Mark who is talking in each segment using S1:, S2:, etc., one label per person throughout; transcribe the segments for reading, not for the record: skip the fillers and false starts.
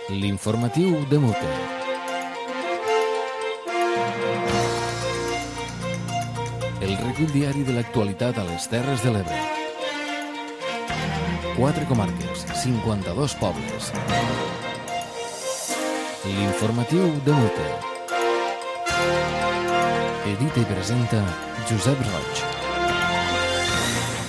S1: L'informatiu de Mute. El recull diari de l'actualitat a les Terres de l'Ebre. 4 comarques, 52 pobles. L'informatiu de Mute. Edita i presenta Josep Roig.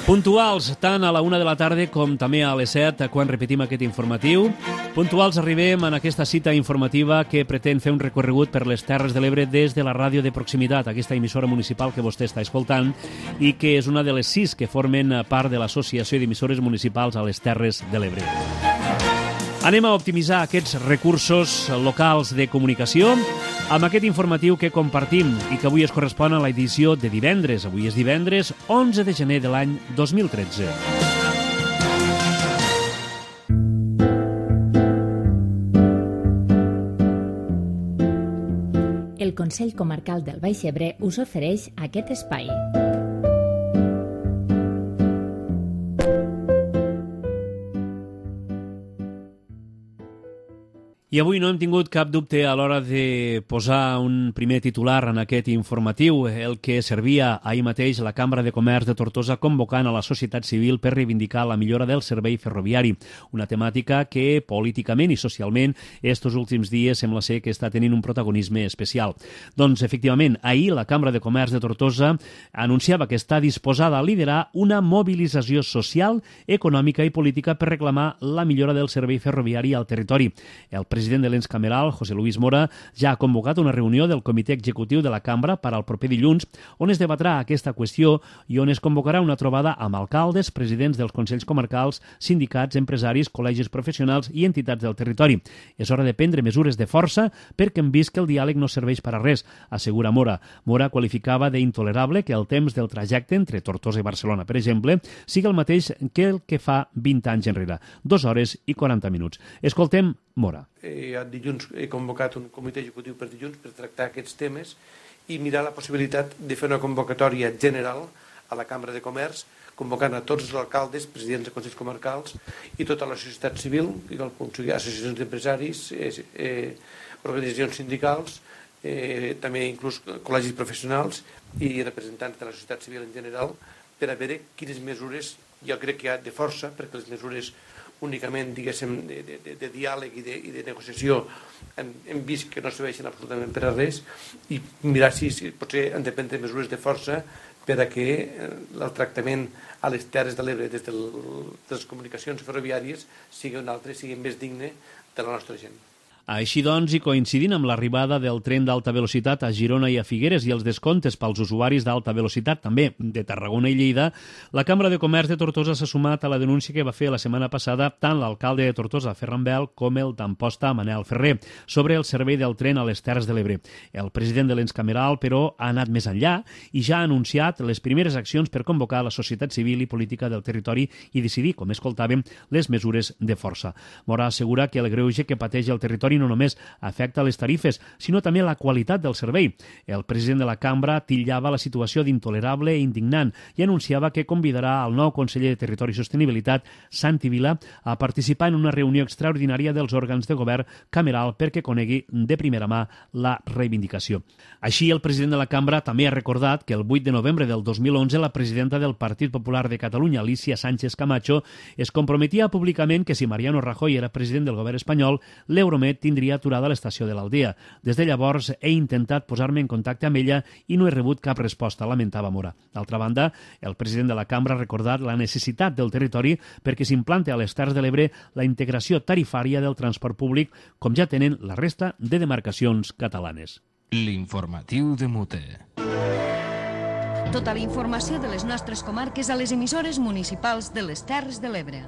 S2: Puntuals, tant a la 1 de la tarda com també a les 7, quan repetim aquest informatiu. Puntuals arribem en aquesta cita informativa que pretén fer un recorregut per les Terres de l'Ebre des de la ràdio de proximitat, aquesta emissora municipal que vostè està escoltant i que és una de les 6 que formen part de l'Associació d'Emissores Municipals a les Terres de l'Ebre. Anem a optimitzar aquests recursos locals de comunicació amb aquest informatiu que compartim i que avui es correspon a l'edició de divendres. Avui és divendres 11 de gener de l'any 2013.
S3: El Consell Comarcal del Baix Ebre us ofereix aquest espai.
S2: I avui no hem tingut cap dubte a l'hora de posar un primer titular en aquest informatiu, el que servia ahir mateix la Cambra de Comerç de Tortosa convocant a la societat civil per reivindicar la millora del servei ferroviari, una temàtica que políticament i socialment estos últims dies sembla ser que està tenint un protagonisme especial. Doncs, efectivament, ahir la Cambra de Comerç de Tortosa anunciava que està disposada a liderar una mobilització social, econòmica i política per reclamar la millora del servei ferroviari al territori. El president de l'ens cameral, José Luis Mora, ja ha convocat una reunió del comitè executiu de la cambra per al proper dilluns, on es debatrà aquesta qüestió i on es convocarà una trobada amb alcaldes, presidents dels consells comarcals, sindicats, empresaris, col·legis professionals i entitats del territori. És hora de prendre mesures de força perquè hem vist que el diàleg no serveix per a res, assegura Mora. Mora qualificava d'intolerable que el temps del trajecte entre Tortosa i Barcelona, per exemple, sigui el mateix que el que fa 20 anys enrere, 2 hores i 40 minuts. Escoltem Mora.
S4: Dilluns he convocat un comitè executiu per dilluns per tractar aquests temes i mirar la possibilitat de fer una convocatòria general a la Cambra de Comerç, convocant a tots els alcaldes, presidents de consells comarcals i tota la societat civil, associacions d'empresaris, organitzacions sindicals, també inclús col·legis professionals i representants de la societat civil en general, per a veure quines mesures, jo crec que hi ha de força, perquè les mesures únicament, diguéssim, de diàleg i de negociació hem vist que no serveixen absolutament per a res i mirar si potser han de prendre mesures de força per a que el tractament a les Terres de l'Ebre des de les comunicacions ferroviàries sigui un altre, sigui més digne de la nostra gent.
S2: Així doncs, i coincidint amb l'arribada del tren d'alta velocitat a Girona i a Figueres i els descomptes pels usuaris d'alta velocitat, també de Tarragona i Lleida, la Cambra de Comerç de Tortosa s'ha sumat a la denúncia que va fer la setmana passada tant l'alcalde de Tortosa, Ferran Bel, com el d'Amposta, Manel Ferrer, sobre el servei del tren a les Terres de l'Ebre. El president de l'ens cameral, però, ha anat més enllà i ja ha anunciat les primeres accions per convocar la societat civil i política del territori i decidir, com escoltàvem, les mesures de força. Mora assegura que el greuge que pateix el territori no només afecta les tarifes, sinó també la qualitat del servei. El president de la cambra titllava la situació d'intolerable i indignant i anunciava que convidarà el nou conseller de Territori i Sostenibilitat, Santi Vila, a participar en una reunió extraordinària dels òrgans de govern cameral perquè conegui de primera mà la reivindicació. Així, el president de la cambra també ha recordat que el 8 de novembre del 2011 la presidenta del Partit Popular de Catalunya, Alicia Sánchez Camacho, es comprometia públicament que si Mariano Rajoy era president del govern espanyol, l'Euromed tindria aturada a l'estació de l'Aldea. Des de llavors he intentat posar-me en contacte amb ella i no he rebut cap resposta, lamentava Mora. D'altra banda, el president de la cambra ha recordat la necessitat del territori perquè s'implante a les Terres de l'Ebre la integració tarifària del transport públic, com ja tenen la resta de demarcacions catalanes.
S1: L'informatiu de Mute.
S5: Tota la informació de les nostres comarques a les emissores municipals de les Terres de l'Ebre.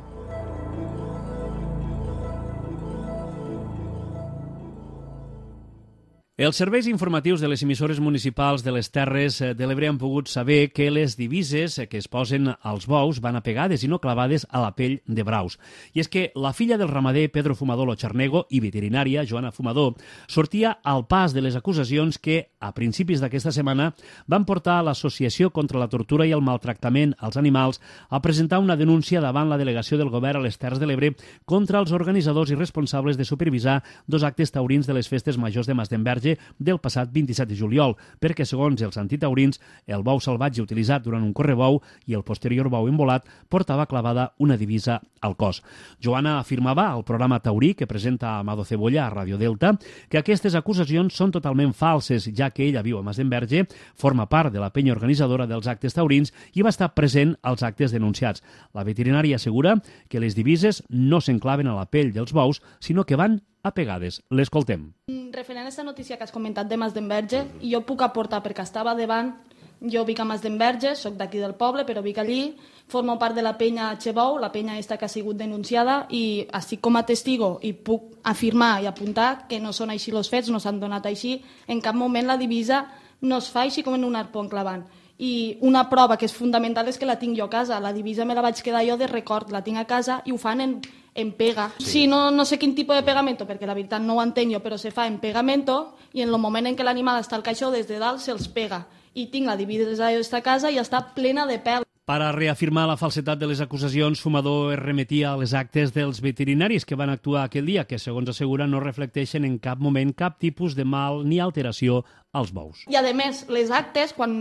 S2: Els serveis informatius de les emissores municipals de les Terres de l'Ebre han pogut saber que les divises que es posen als bous van apegades i no clavades a la pell de braus. I és que la filla del ramader Pedro Fumador Locharnego i veterinària Joana Fumador sortia al pas de les acusacions que, a principis d'aquesta setmana, van portar a l'Associació contra la Tortura i el Maltractament als Animals a presentar una denúncia davant la delegació del govern a les Terres de l'Ebre contra els organitzadors i responsables de supervisar dos actes taurins de les festes majors de Masdenverge del passat 27 de juliol, perquè, segons els antitaurins, el bou salvatge utilitzat durant un correbou i el posterior bou embolat portava clavada una divisa al cos. Joana afirmava al programa taurí que presenta Amado Cebolla a Radio Delta que aquestes acusacions són totalment falses, ja que ella viu a Masdenverge, forma part de la penya organitzadora dels actes taurins i va estar present als actes denunciats. La veterinària assegura que les divises no s'enclaven a la pell dels bous, sinó que van apegades. L'escoltem.
S6: Referent a aquesta notícia que has comentat de Masdenverge, jo puc aportar perquè estava davant, jo vic a Masdenverge, soc d'aquí del poble, però vic allí, formo part de la penya Xebou, la penya esta que ha sigut denunciada, i estic com a testigo i puc afirmar i apuntar que no són així els fets, no s'han donat així, en cap moment la divisa no es fa així com en un arpó enclavant. I una prova que és fundamental és que la tinc jo a casa, la divisa me la vaig quedar jo de record, la tinc a casa i ho fan en pega. Sí, no sé quin tipus de pegamento, perquè la veritat no ho entenc jo, però se fa en pegamento i en el moment en què l'animal està al caixó, des de dalt se'ls pega. I tinc la divisa d'esta casa i està plena de pèl.
S2: Per a reafirmar la falsetat de les acusacions, Fumador es remetia a les actes dels veterinaris que van actuar aquell dia, que, segons assegura, no reflecteixen en cap moment cap tipus de mal ni alteració als bous.
S6: I, a més, les actes, quan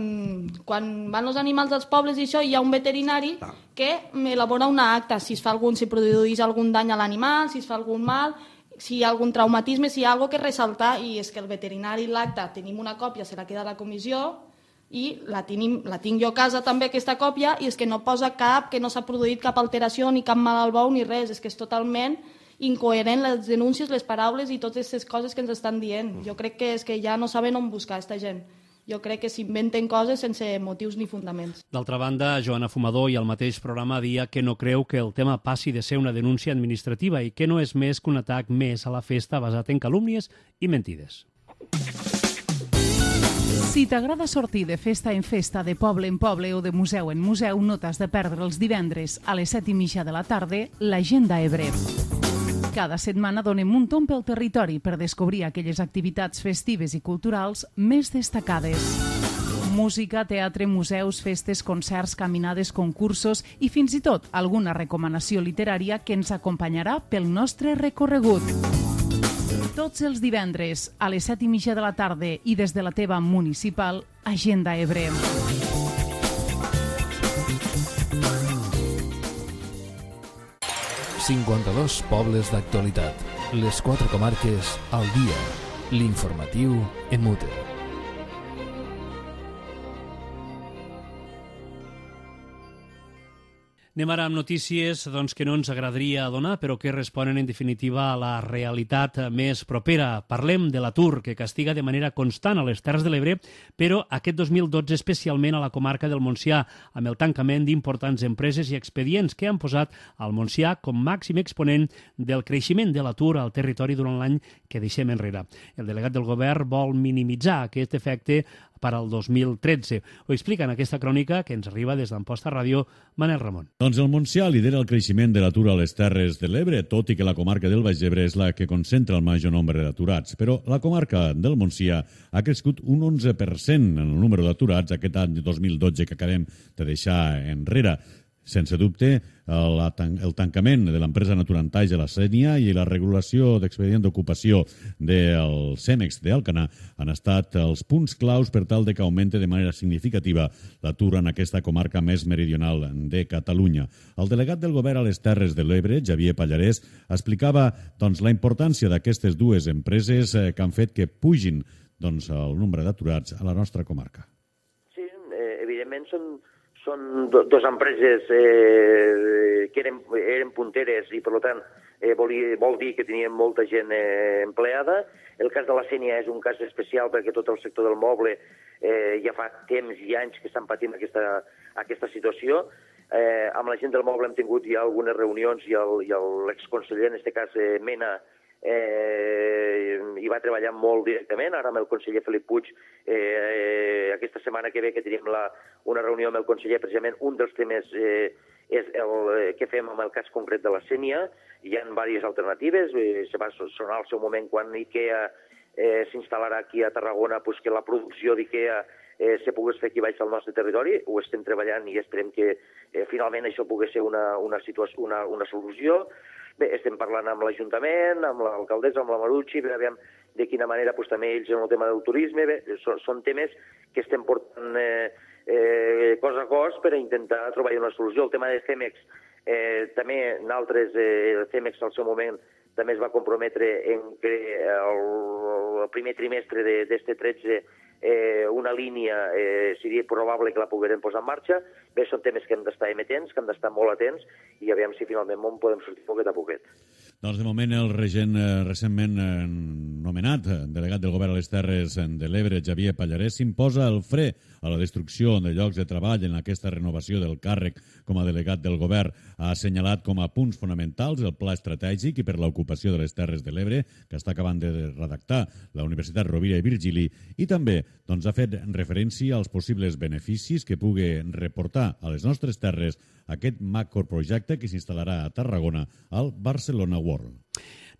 S6: van els animals als pobles i això, hi ha un veterinari que elabora una acta, si produeix algun dany a l'animal, si es fa algun mal, si hi ha algun traumatisme, si hi ha alguna cosa que ressaltar, i és que el veterinari l'acta, tenim una còpia, se la queda a la comissió, i la tinc jo a casa també, aquesta còpia, i és que no posa que no s'ha produït cap alteració ni cap mal al bou ni res, és que és totalment incoherent les denúncies, les paraules i totes aquestes coses que ens estan dient. Jo crec que és que ja no saben on buscar aquesta gent. Jo crec que s'inventen coses sense motius ni fundaments.
S2: D'altra banda, Joana Fumador i el mateix programa dia que no creu que el tema passi de ser una denúncia administrativa i que no és més que un atac més a la festa basat en calúmnies i mentides.
S7: Si t'agrada sortir de festa en festa, de poble en poble o de museu en museu, no t'has de perdre els divendres a les 7:30 de la tarda l'Agenda Ebre. Cada setmana donem un tomb pel territori per descobrir aquelles activitats festives i culturals més destacades. Música, teatre, museus, festes, concerts, caminades, concursos i fins i tot alguna recomanació literària que ens acompanyarà pel nostre recorregut. Tots els divendres a les 7:30 de la tarda i des de la teva municipal Agenda Ebre.
S1: ...52 pobles d'actualitat. Les 4 comarques al dia. L'informatiu en mute.
S2: Anem ara amb notícies que no ens agradaria donar, però que responen en definitiva a la realitat més propera. Parlem de l'atur, que castiga de manera constant a les Terres de l'Ebre, però aquest 2012 especialment a la comarca del Montsià, amb el tancament d'importants empreses i expedients que han posat al Montsià com màxim exponent del creixement de l'atur al territori durant l'any que deixem enrere. El delegat del govern vol minimitzar aquest efecte per al 2013. Ho explica en aquesta crònica que ens arriba des d'Amposta Ràdio, Manel Ramon.
S8: Doncs el Montsià lidera el creixement de l'atur a les Terres de l'Ebre, tot i que la comarca del Baix Ebre és la que concentra el major nombre d'aturats. Però la comarca del Montsià ha crescut un 11% en el número d'aturats aquest any 2012 que acabem de deixar enrere. Sense dubte, el tancament de l'empresa Naturantaix a la Sénia i la regulació d'expedient d'ocupació del CEMEX d'Alcanar han estat els punts claus per tal de que augmente de manera significativa l'atur en aquesta comarca més meridional de Catalunya. El delegat del govern a les Terres de l'Ebre, Xavier Pallarès, explicava la importància d'aquestes dues empreses que han fet que pugin el nombre d'aturats a la nostra comarca.
S9: Sí, evidentment són dues empreses que eren punteres i, per tant, vol dir que tenien molta gent empleada. El cas de la Sénia és un cas especial perquè tot el sector del moble ja fa temps i anys que estan patint aquesta situació. Amb la gent del moble hem tingut ja algunes reunions i l'exconseller, en aquest cas Mena, hi va treballar molt directament. Ara amb el conseller Felip Puig, aquesta setmana que ve que tenim una reunió amb el conseller, precisament un dels temes és el que fem amb el cas concret de la Sénia. Hi ha diverses alternatives, se va sonar al seu moment quan IKEA s'instal·larà aquí a Tarragona, que la producció d'IKEA se pogués fer aquí baix al nostre territori. Ho estem treballant i esperem que finalment això pugui ser una solució. Bé, estem parlant amb l'Ajuntament, amb l'alcaldessa, amb la Marucci, per veure de quina manera també ells en el tema del turisme. Bé, són temes que estem portant cos a cos per a intentar trobar una solució. El tema de CEMEX, també nosaltres, CEMEX al seu moment també es va comprometre en que el primer trimestre d'aquest 13 una línia seria probable que la poguérem posar en marxa. Bé, són temes que hem d'estar emetents, que hem d'estar molt atents i aviam si finalment podem sortir poquet a poquet.
S8: Doncs de moment el regent recentment nomenat delegat del govern a les Terres de l'Ebre, Xavier Pallarès, s'imposa el fre a la destrucció de llocs de treball en aquesta renovació del càrrec com a delegat del govern. Ha assenyalat com a punts fonamentals el pla estratègic i per l'ocupació de les Terres de l'Ebre, que està acabant de redactar la Universitat Rovira i Virgili, i també ha fet referència als possibles beneficis que pugui reportar a les nostres terres aquest macroprojecte que s'instal·larà a Tarragona al Barcelona World.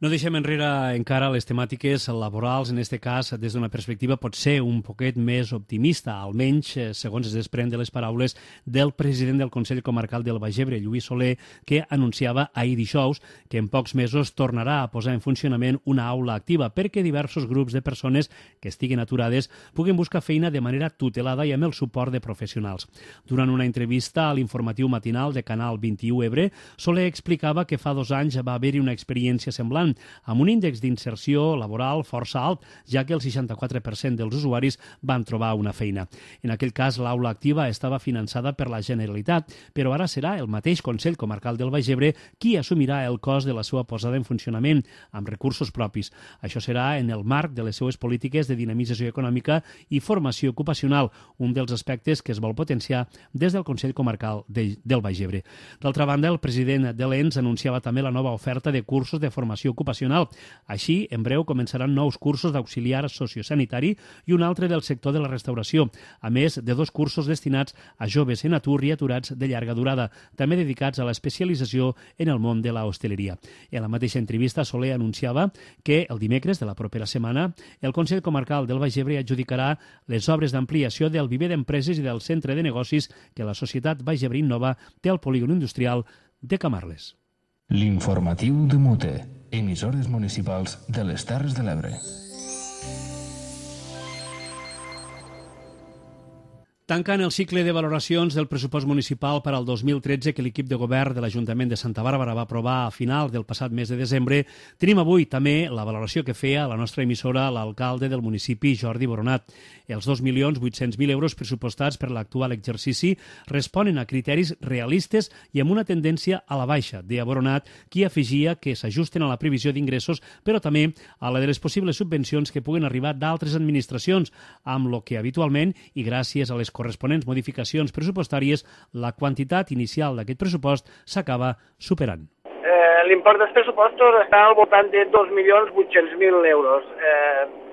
S2: No deixem enrere encara les temàtiques laborals, en aquest cas des d'una perspectiva potser un poquet més optimista, almenys segons es desprèn de les paraules del president del Consell Comarcal del Baix Ebre, Lluís Soler, que anunciava ahir dijous que en pocs mesos tornarà a posar en funcionament una aula activa perquè diversos grups de persones que estiguen aturades puguin buscar feina de manera tutelada i amb el suport de professionals. Durant una entrevista a l'informatiu matinal de Canal 21 Ebre, Soler explicava que fa 2 anys va haver-hi una experiència semblant amb un índex d'inserció laboral força alt, ja que el 64% dels usuaris van trobar una feina. En aquell cas, l'aula activa estava finançada per la Generalitat, però ara serà el mateix Consell Comarcal del Baix Ebre qui assumirà el cost de la seva posada en funcionament, amb recursos propis. Això serà en el marc de les seues polítiques de dinamització econòmica i formació ocupacional, un dels aspectes que es vol potenciar des del Consell Comarcal del Baix Ebre. D'altra banda, el president de l'ENS anunciava també la nova oferta de cursos de formació ocupacional. Així, en breu començaran nous cursos d'auxiliar sociosanitari i un altre del sector de la restauració, a més de 2 cursos destinats a joves en atur i aturats de llarga durada, també dedicats a l'especialització en el món de la hostaleria. En la mateixa entrevista, Soler anunciava que el dimecres de la propera setmana el Consell Comarcal del Baix Ebre adjudicarà les obres d'ampliació del viver d'empreses i del centre de negocis que la societat Baix Ebre Innova té al polígon industrial de Camarles.
S1: L'informatiu de Mute, emissores municipals de les Terres de l'Ebre.
S2: Tancant el cicle de valoracions del pressupost municipal per al 2013 que l'equip de govern de l'Ajuntament de Santa Bàrbara va aprovar a final del passat mes de desembre, tenim avui també la valoració que feia la nostra emissora l'alcalde del municipi, Jordi Boronat. Els 2.800.000 euros pressupostats per l'actual exercici responen a criteris realistes i amb una tendència a la baixa, deia Boronat, qui afegia que s'ajusten a la previsió d'ingressos, però també a la de les possibles subvencions que puguen arribar d'altres administracions, amb lo que habitualment, i gràcies a les corresponents modificacions pressupostàries, la quantitat inicial d'aquest pressupost s'acaba superant.
S10: L'import dels pressupostos està al voltant de 2.800.000 euros.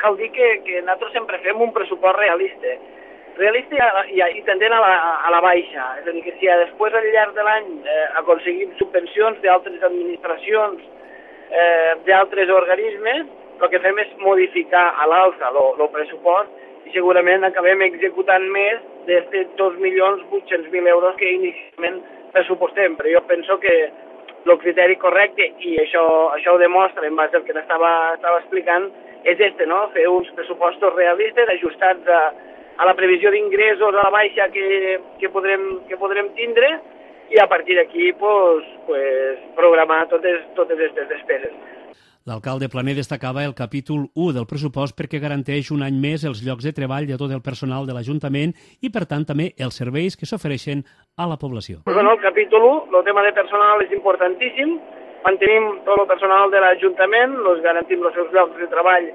S10: Cal dir que nosaltres sempre fem un pressupost realista i tendent a la baixa. És a dir, que si després al llarg de l'any aconseguim subvencions d'altres administracions, d'altres organismes, el que fem és modificar a l'alça el pressupost i segurament acabem executant més d'aquests 2.800.000 euros que inicialment pressupostem. Però jo penso que el criteri correcte, i això ho demostra en base al que estava explicant, és no? Fer uns pressupostos realistes ajustats a la previsió d'ingressos a la baixa que podrem tindre i a partir d'aquí programar totes aquestes despeses.
S2: L'alcalde Planer destacava el capítol 1 del pressupost perquè garanteix un any més els llocs de treball de tot el personal de l'Ajuntament i, per tant, també els serveis que s'ofereixen a la població.
S10: El capítol 1, el tema de personal és importantíssim. Mantenim tot el personal de l'Ajuntament, garantim els seus llocs de treball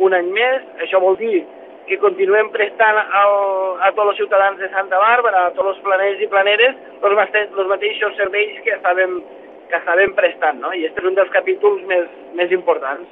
S10: un any més. Això vol dir que continuem prestant a tots els ciutadans de Santa Bàrbara, a tots els planers i planeres, els mateixos serveis que estàvem prestant, no? I aquest és un dels capítols més importants.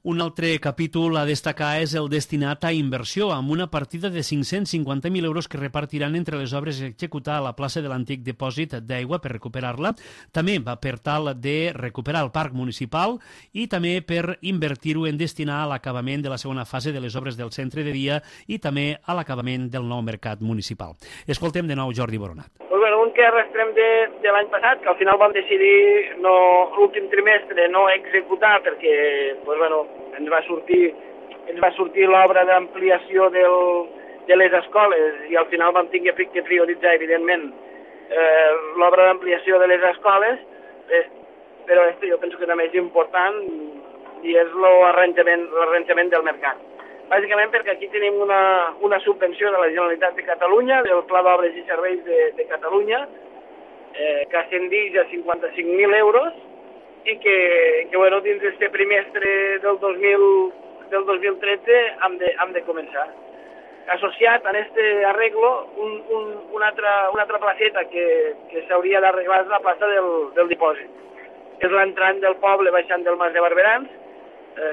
S2: Un altre capítol a destacar és el destinat a inversió, amb una partida de 550.000 euros que repartiran entre les obres a executar a la plaça de l'antic dipòsit d'aigua per recuperar-la, també va per tal de recuperar el parc municipal i també per invertir-ho en destinar a l'acabament de la segona fase de les obres del centre de dia i també a l'acabament del nou mercat municipal. Escoltem de nou Jordi Boronat.
S10: Un que arrastrem de l'any passat, que al final vam decidir l'últim trimestre no executar perquè ens va sortir l'obra d'ampliació de les escoles i al final vam tenir que prioritzar, evidentment, l'obra d'ampliació de les escoles, però jo penso que també és important i és l'arranjament del mercat. Bàsicament perquè aquí tenim una subvenció de la Generalitat de Catalunya, del Pla d'Obres i Serveis de Catalunya, que ascendix a 55.000 euros i que dins d'aquest trimestre del 2013 hem de començar. Associat a aquest arreglo, una altra placeta que s'hauria d'arreglar és la plaça del dipòsit. És l'entrant del poble baixant del Mas de Barberans,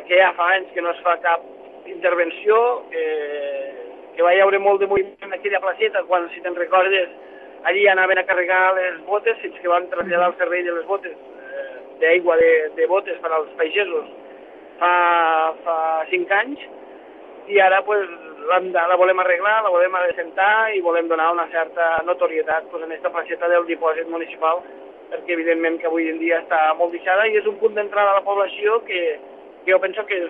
S10: que ja fa anys que no es fa cap intervenció, que va hi haure molt de moviment en aquella placeta, quan, si te'n recordes, allí anaven a carregar les botes, fins que van traslladar el servei de les botes, d'aigua de botes per als pagesos fa 5 anys, i ara la volem arreglar, la volem assentar i volem donar una certa notorietat en aquesta placeta del dipòsit municipal, perquè evidentment que avui en dia està molt deixada i és un punt d'entrada a la població que jo penso que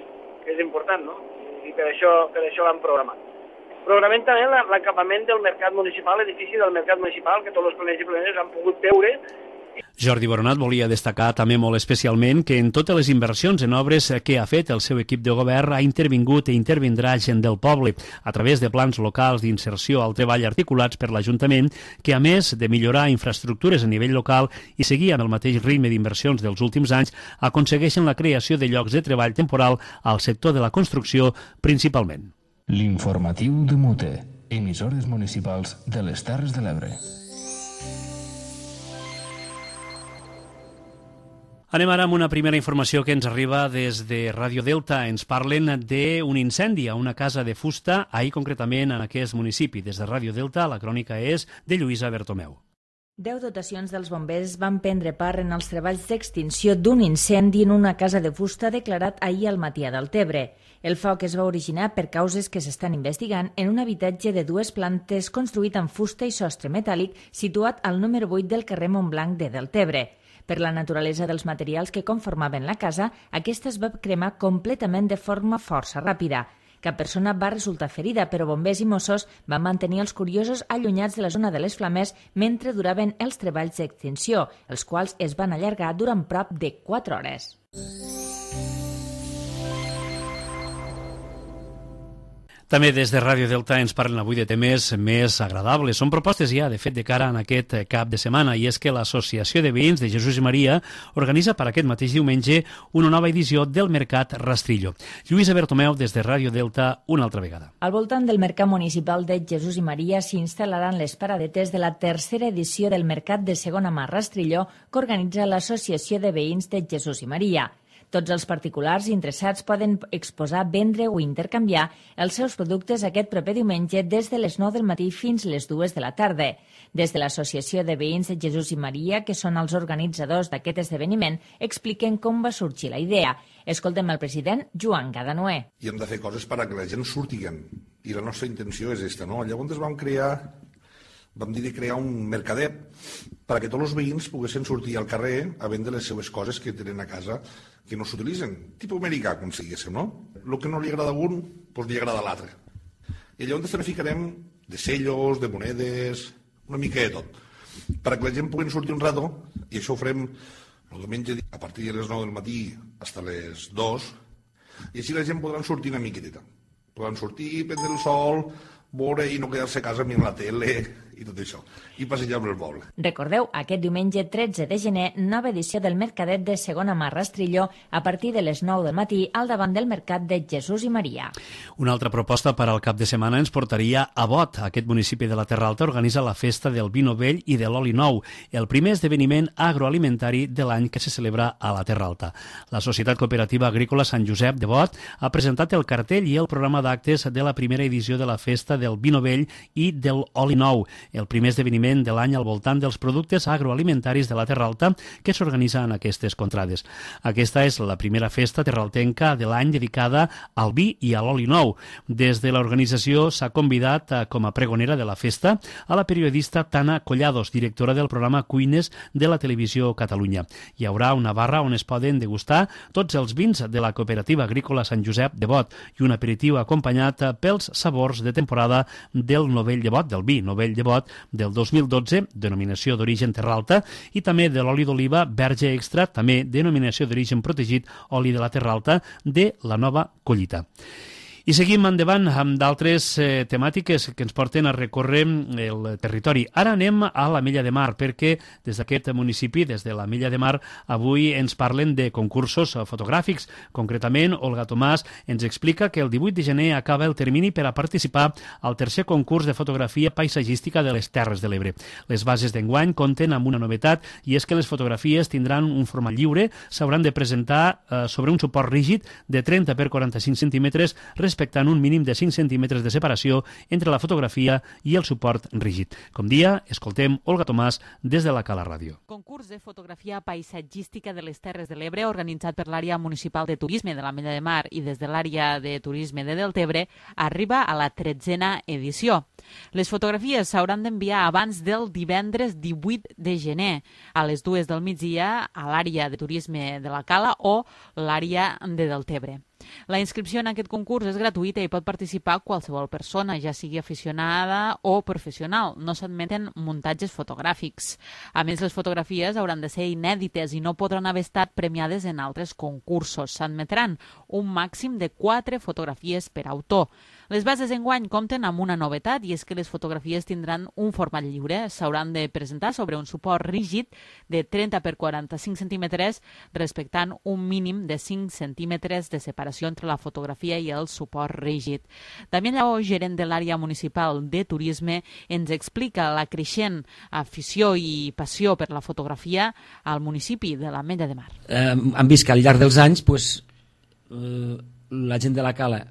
S10: és important, no? I per això l'hem programat. Programem també l'acabament del mercat municipal, l'edifici del mercat municipal, que tots els planers i planeres han pogut veure.
S2: Jordi Boronat volia destacar també molt especialment que en totes les inversions en obres que ha fet el seu equip de govern ha intervingut i intervindrà gent del poble a través de plans locals d'inserció al treball articulats per l'Ajuntament que, a més de millorar infraestructures a nivell local i seguir amb el mateix ritme d'inversions dels últims anys, aconsegueixen la creació de llocs de treball temporal al sector de la construcció principalment.
S1: L'informatiu de Mute, emissores municipals de les Terres de l'Ebre.
S2: Anem ara amb una primera informació que ens arriba des de Ràdio Delta. Ens parlen d'un incendi a una casa de fusta, ahir concretament en aquest municipi. Des de Ràdio Delta, la crònica és de Lluïsa Bertomeu.
S11: 10 dotacions dels bombers van prendre part en els treballs d'extinció d'un incendi en una casa de fusta declarat ahir al matí a Deltebre. El foc es va originar per causes que s'estan investigant en un habitatge de 2 plantes construït amb fusta i sostre metàl·lic situat al número 8 del carrer Montblanc de Deltebre. Per la naturalesa dels materials que conformaven la casa, aquesta es va cremar completament de forma força ràpida. Cap persona va resultar ferida, però bombers i Mossos van mantenir els curiosos allunyats de la zona de les flames mentre duraven els treballs d'extinció, els quals es van allargar durant prop de 4 hores.
S2: També des de Ràdio Delta ens parlen avui de temes més agradables. Són propostes ja, de fet, de cara en aquest cap de setmana, i és que l'Associació de Veïns de Jesús i Maria organitza per aquest mateix diumenge una nova edició del Mercat Rastrillo. Lluïsa Bertomeu, des de Ràdio Delta, una altra vegada.
S11: Al voltant del Mercat Municipal de Jesús i Maria s'instal·laran les paradetes de la tercera edició del Mercat de Segona Mà Rastrillo que organitza l'Associació de Veïns de Jesús i Maria. Tots els particulars interessats poden exposar, vendre o intercanviar els seus productes aquest proper diumenge des de les 9 del matí fins les 2 de la tarda. Des de l'Associació de Veïns de Jesús i Maria, que són els organitzadors d'aquest esdeveniment, expliquen com va sorgir la idea. Escoltem el president Joan Gadanoé.
S12: I hem de fer coses perquè la gent surtiguen. I la nostra intenció és aquesta, no? Llavors vam dir de crear un mercadet perquè tots els veïns poguessin sortir al carrer a vendre les seves coses que tenen a casa que no s'utilitzen, tipus americà, com si diguéssim, no? El que no li agrada a un, doncs li agrada a l'altre. I llavors també ficarem de sellos, de monedes, una mica de tot, perquè la gent pugui sortir un rato, i això ho farem el diumenge a partir de les 9 del matí fins a les 2, i així la gent podrà sortir una miqueteta. Podran sortir, prendre el sol, veure i no quedar-se a casa mirant la tele i tot això, i passejar per el poble.
S11: Recordeu, aquest diumenge 13 de gener, nova edició del Mercadet de Segona Mà Rastrilló a partir de les 9 del matí al davant del Mercat de Jesús i Maria.
S2: Una altra proposta per al cap de setmana ens portaria a Bot. Aquest municipi de la Terra Alta organitza la festa del vino vell i de l'oli nou, el primer esdeveniment agroalimentari de l'any que se celebra a la Terra Alta. La Societat Cooperativa Agrícola Sant Josep de Bot ha presentat el cartell i el programa d'actes de la primera edició de la festa del vino vell i de l'oli nou, el primer esdeveniment de l'any al voltant dels productes agroalimentaris de la Terra Alta que s'organitza en aquestes contrades. Aquesta és la primera festa terraltenca de l'any dedicada al vi i a l'oli nou. Des de l'organització s'ha convidat com a pregonera de la festa a la periodista Tana Collados, directora del programa Cuines de la Televisió Catalunya. Hi haurà una barra on es poden degustar tots els vins de la Cooperativa Agrícola Sant Josep de Bot i un aperitiu acompanyat pels sabors de temporada del Novell de Bot, del vi Novell de Bot del 2012, denominació d'origen Terra Alta, i també de l'oli d'oliva Verge Extra, també denominació d'origen protegit, oli de la Terra Alta, de la nova collita. I seguim endavant amb d'altres temàtiques que ens porten a recórrer el territori. Ara anem a l'Ametlla de Mar, perquè des d'aquest municipi, des de l'Ametlla de Mar, avui ens parlen de concursos fotogràfics. Concretament, Olga Tomàs ens explica que el 18 de gener acaba el termini per a participar al tercer concurs de fotografia paisatgística de les Terres de l'Ebre. Les bases d'enguany compten amb una novetat, i és que les fotografies tindran un format lliure, s'hauran de presentar sobre un suport rígid de 30 per 45 centímetres, respectant un mínim de 5 centímetres de separació entre la fotografia i el suport rígid. Com dia, escoltem Olga Tomàs des de la Cala Ràdio.
S13: Concurs de fotografia paisatgística de les Terres de l'Ebre, organitzat per l'àrea municipal de turisme de l'Ametlla de Mar i des de l'àrea de turisme de Deltebre, arriba a la 13a edició. Les fotografies s'hauran d'enviar abans del divendres 18 de gener, a les 2 del migdia, a l'àrea de turisme de la Cala o l'àrea de Deltebre. La inscripció en aquest concurs és gratuïta i pot participar qualsevol persona, ja sigui aficionada o professional. No s'admeten muntatges fotogràfics. A més, les fotografies hauran de ser inèdites i no podran haver estat premiades en altres concursos. S'admetran un màxim de 4 fotografies per autor. Les bases d'enguany compten amb una novetat, i és que les fotografies tindran un format lliure. S'hauran de presentar sobre un suport rígid de 30 per 45 centímetres, respectant un mínim de 5 centímetres de separació entre la fotografia i el suport rígid. Damià Lleó, gerent de l'àrea municipal de turisme, ens explica la creixent afició i passió per la fotografia al municipi de l'Ametlla de Mar.
S14: Hem vist que al llarg dels anys la gent de la Cala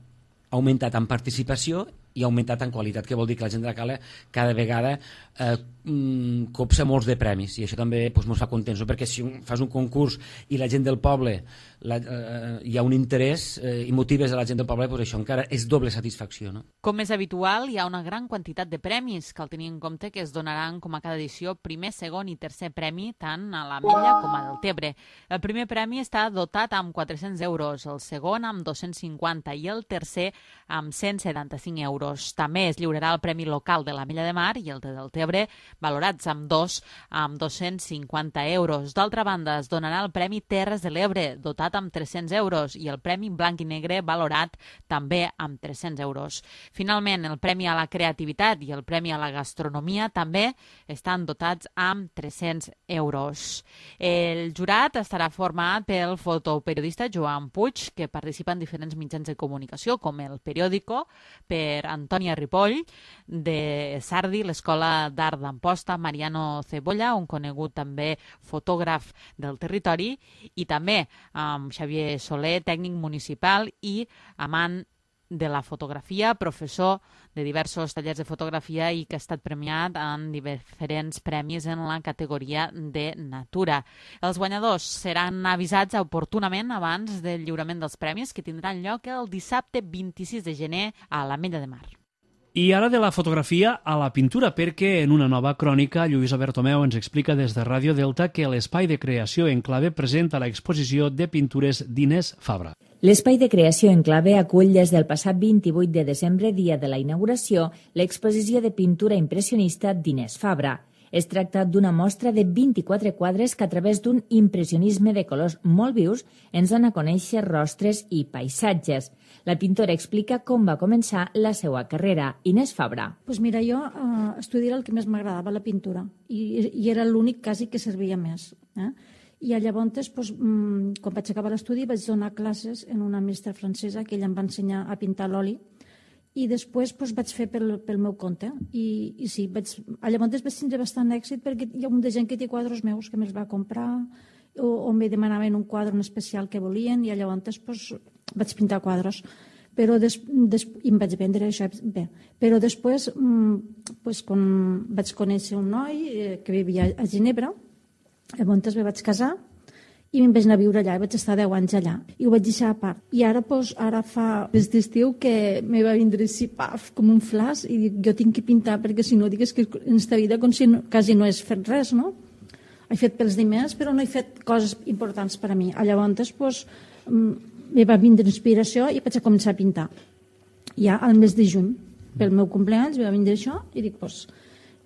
S14: ha augmentat en participació i ha augmentat en qualitat, que vol dir que la gent de la Cala cada vegada copsa molts de premis, i això també ens fa contents, perquè si fas un concurs i la gent del poble hi ha un interès i motives a la gent del poble, això encara és doble satisfacció.
S13: Com és habitual, hi ha una gran quantitat de premis. Cal tenir en compte que es donaran, com a cada edició, primer, segon i tercer premi, tant a l'Ametlla com a Deltebre. El primer premi està dotat amb 400 euros, el segon amb 250 i el tercer amb 175 euros. També es lliurarà el premi local de l'Ametlla de Mar i el de Deltebre, valorats amb 250 euros. D'altra banda, es donarà el Premi Terres de l'Ebre, dotat amb 300 euros, i el Premi Blanc i Negre, valorat també amb 300 euros. Finalment, el Premi a la Creativitat i el Premi a la Gastronomia també estan dotats amb 300 euros. El jurat estarà format pel fotoperiodista Joan Puig, que participa en diferents mitjans de comunicació, com el Periódico, per Antònia Ripoll, de Sardi, l'Escola d'Art d'Amposta, Mariano Cebolla, un conegut també fotògraf del territori, i també amb Xavier Soler, tècnic municipal i amant de la fotografia, professor de diversos tallers de fotografia i que ha estat premiat en diferents premis en la categoria de natura. Els guanyadors seran avisats oportunament abans del lliurament dels premis, que tindran lloc el dissabte 26 de gener a l'Ametlla de Mar.
S2: I ara de la fotografia a la pintura, perquè en una nova crònica Lluïsa Bertomeu ens explica des de Ràdio Delta que l'Espai de Creació Enclave presenta l'exposició de pintures d'Inés Fabra.
S11: L'Espai de Creació Enclave acull des del passat 28 de desembre, dia de la inauguració, l'exposició de pintura impressionista d'Inés Fabra. Es tracta d'una mostra de 24 quadres que a través d'un impressionisme de colors molt vius ens dona a conèixer rostres i paisatges. La pintora explica com va començar la seva carrera. Inés Fabra.
S15: Pues mira, jo estudiar el que més m'agradava, la pintura, i era l'únic quasi que servia més. I llavors, quan vaig acabar l'estudi, vaig donar classes en una mestra francesa que ella em va ensenyar a pintar l'oli, i després vaig fer pel meu compte. I sí, llavors vaig tindre bastant èxit perquè hi ha un de gent que té quadres meus que me'ls va comprar o me demanaven un quadre en especial que volien i llavors vaig pintar quadres. Però i em vaig vendre això bé. Però després, quan vaig conèixer un noi que vivia a Ginebra, llavors me vaig casar i me'n vaig anar a viure allà, i vaig estar 10 anys allà, i ho vaig deixar a part. I ara fa des d'estiu que me va vindre així, paf, com un flash, i dic, jo tinc que pintar, perquè si no, digues que en esta vida com si quasi no has fet res, no? He fet pels diners, però no he fet coses importants per a mi. Llavors, me va vindre inspiració i vaig començar a pintar. Ja al mes de juny, pel meu compleanys, me va vindre això, i dic,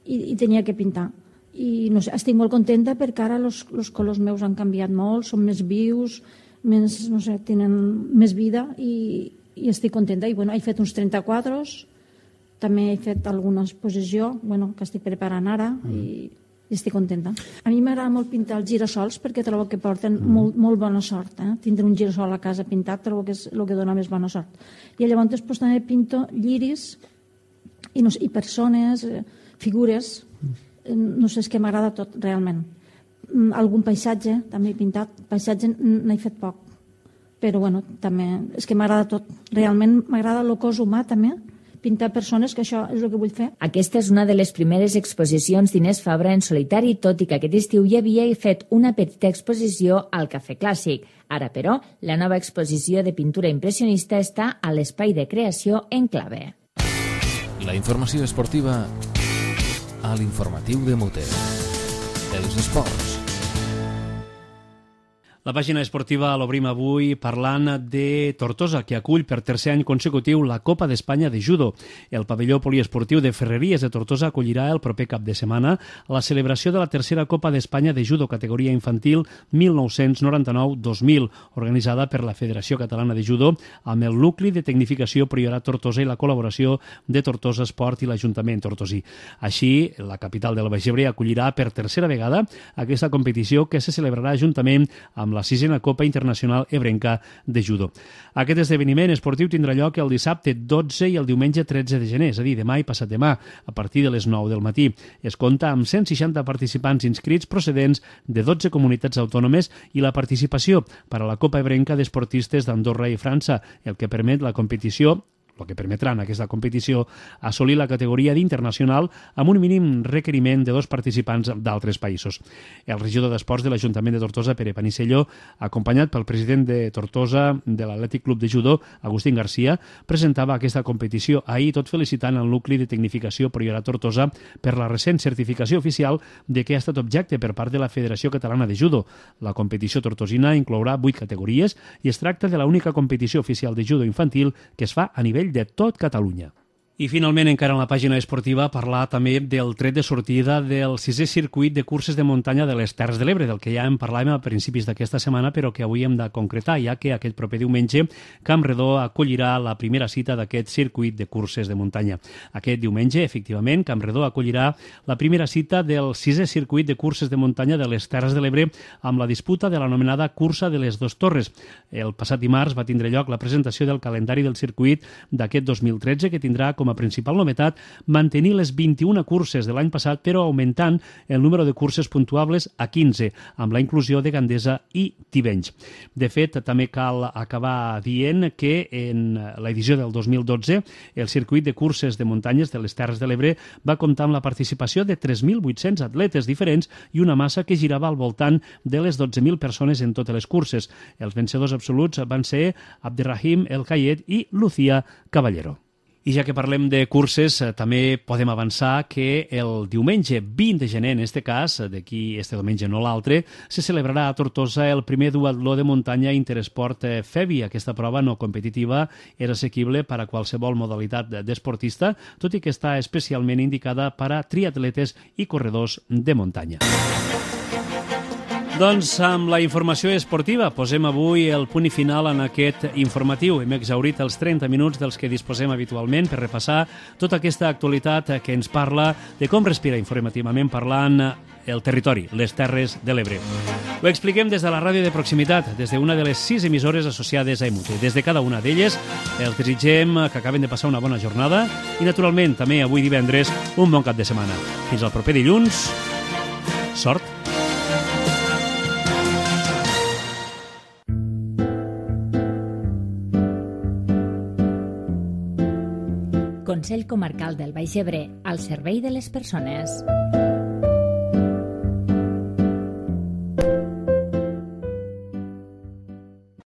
S15: i tenia que pintar. I no sé, estic molt contenta perquè ara els colors meus han canviat molt, són més vius, tenen més vida i estic contenta. I he fet uns 30 quadres, també he fet alguna exposició que estic preparant ara i estic contenta. A mi m'agrada molt pintar els girassols perquè trobo que porten molt bona sort. Tindre un girassol a casa pintat trobo que és el que dona més bona sort. I llavors també pinto lliris i persones, figures. No sé, és que m'agrada tot, realment. Algun paisatge, també he pintat. Paisatge n'he fet poc, però també és que m'agrada tot. Realment m'agrada el cos humà, també, pintar persones, que això és el que vull fer.
S11: Aquesta és una de les primeres exposicions d'Inés Fabra en solitari, tot i que aquest estiu ja havia fet una petita exposició al Cafè Clàssic. Ara, però, la nova exposició de pintura impressionista està a l'Espai de Creació Enclave.
S1: La informació esportiva a l'informatiu de Muter. Els esports.
S2: La pàgina esportiva l'obrim avui parlant de Tortosa, que acull per tercer any consecutiu la Copa d'Espanya de Judo. El pavelló poliesportiu de Ferreries de Tortosa acollirà el proper cap de setmana la celebració de la tercera Copa d'Espanya de Judo categoria infantil 1999-2000, organitzada per la Federació Catalana de Judo amb el Nucli de Tecnificació Priorat Tortosa i la col·laboració de Tortosa Esport i l'Ajuntament tortosí. Així, la capital del Baix Ebre acollirà per tercera vegada aquesta competició que se celebrarà juntament amb la 6a Copa Internacional Ebrenca de Judo. Aquest esdeveniment esportiu tindrà lloc el dissabte 12 i el diumenge 13 de gener, és a dir, demà i passat demà, a partir de les 9 del matí. Es compta amb 160 participants inscrits procedents de 12 comunitats autònomes i la participació per a la Copa Ebrenca d'esportistes d'Andorra i França, el que permet la competició el que permetrà en aquesta competició assolir la categoria d'internacional amb un mínim requeriment de 2 participants d'altres països. El regidor d'Esports de l'Ajuntament de Tortosa, Pere Panicello, acompanyat pel president de Tortosa de l'Atlètic Club de Judo, Agustín García, presentava aquesta competició ahir, tot felicitant el Nucli de Tecnificació Priorat Tortosa per la recent certificació oficial de que ha estat objecte per part de la Federació Catalana de Judo. La competició tortosina inclourà 8 categories i es tracta de l'única competició oficial de judo infantil que es fa a nivell de tot Catalunya. I finalment, encara en la pàgina esportiva, parlar també del tret de sortida del 6è circuit de curses de muntanya de les Terres de l'Ebre, del que ja en parlàvem a principis d'aquesta setmana, però que avui hem de concretar, ja que aquest proper diumenge Campredó acollirà la primera cita d'aquest circuit de curses de muntanya. Aquest diumenge, efectivament, Campredó acollirà la primera cita del 6è circuit de curses de muntanya de les Terres de l'Ebre amb la disputa de l'anomenada Cursa de les Dos Torres. El passat dimarts va tindre lloc la presentació del calendari del circuit d'aquest 2013, que tindrà com a principal novetat mantenir les 21 curses de l'any passat, però augmentant el número de curses puntuables a 15, amb la inclusió de Gandesa i Tivenys. De fet, també cal acabar dient que en l'edició del 2012 el circuit de curses de muntanyes de les Terres de l'Ebre va comptar amb la participació de 3.800 atletes diferents i una massa que girava al voltant de les 12.000 persones en totes les curses. Els vencedors absoluts van ser Abderrahim El Kayet i Lucía Caballero. I ja que parlem de curses, també podem avançar que el diumenge 20 de gener, en este cas, d'aquí este diumenge no l'altre, se celebrarà a Tortosa el primer duatló de muntanya Interesport FEBI. Aquesta prova no competitiva és assequible per a qualsevol modalitat d'esportista, tot i que està especialment indicada per a triatletes i corredors de muntanya. Doncs amb la informació esportiva posem avui el punt i final en aquest informatiu. Hem exhaurit els 30 minuts dels que disposem habitualment per repassar tota aquesta actualitat que ens parla de com respira informativament parlant el territori, les Terres de l'Ebre. Ho expliquem des de la ràdio de proximitat, des d'una de les 6 emissores associades a EMUTE. Des de cada una d'elles, els desitgem que acaben de passar una bona jornada i, naturalment, també avui divendres, un bon cap de setmana. Fins al proper dilluns. Sort!
S3: Consell Comarcal del Baix Ebre, al servei de les persones.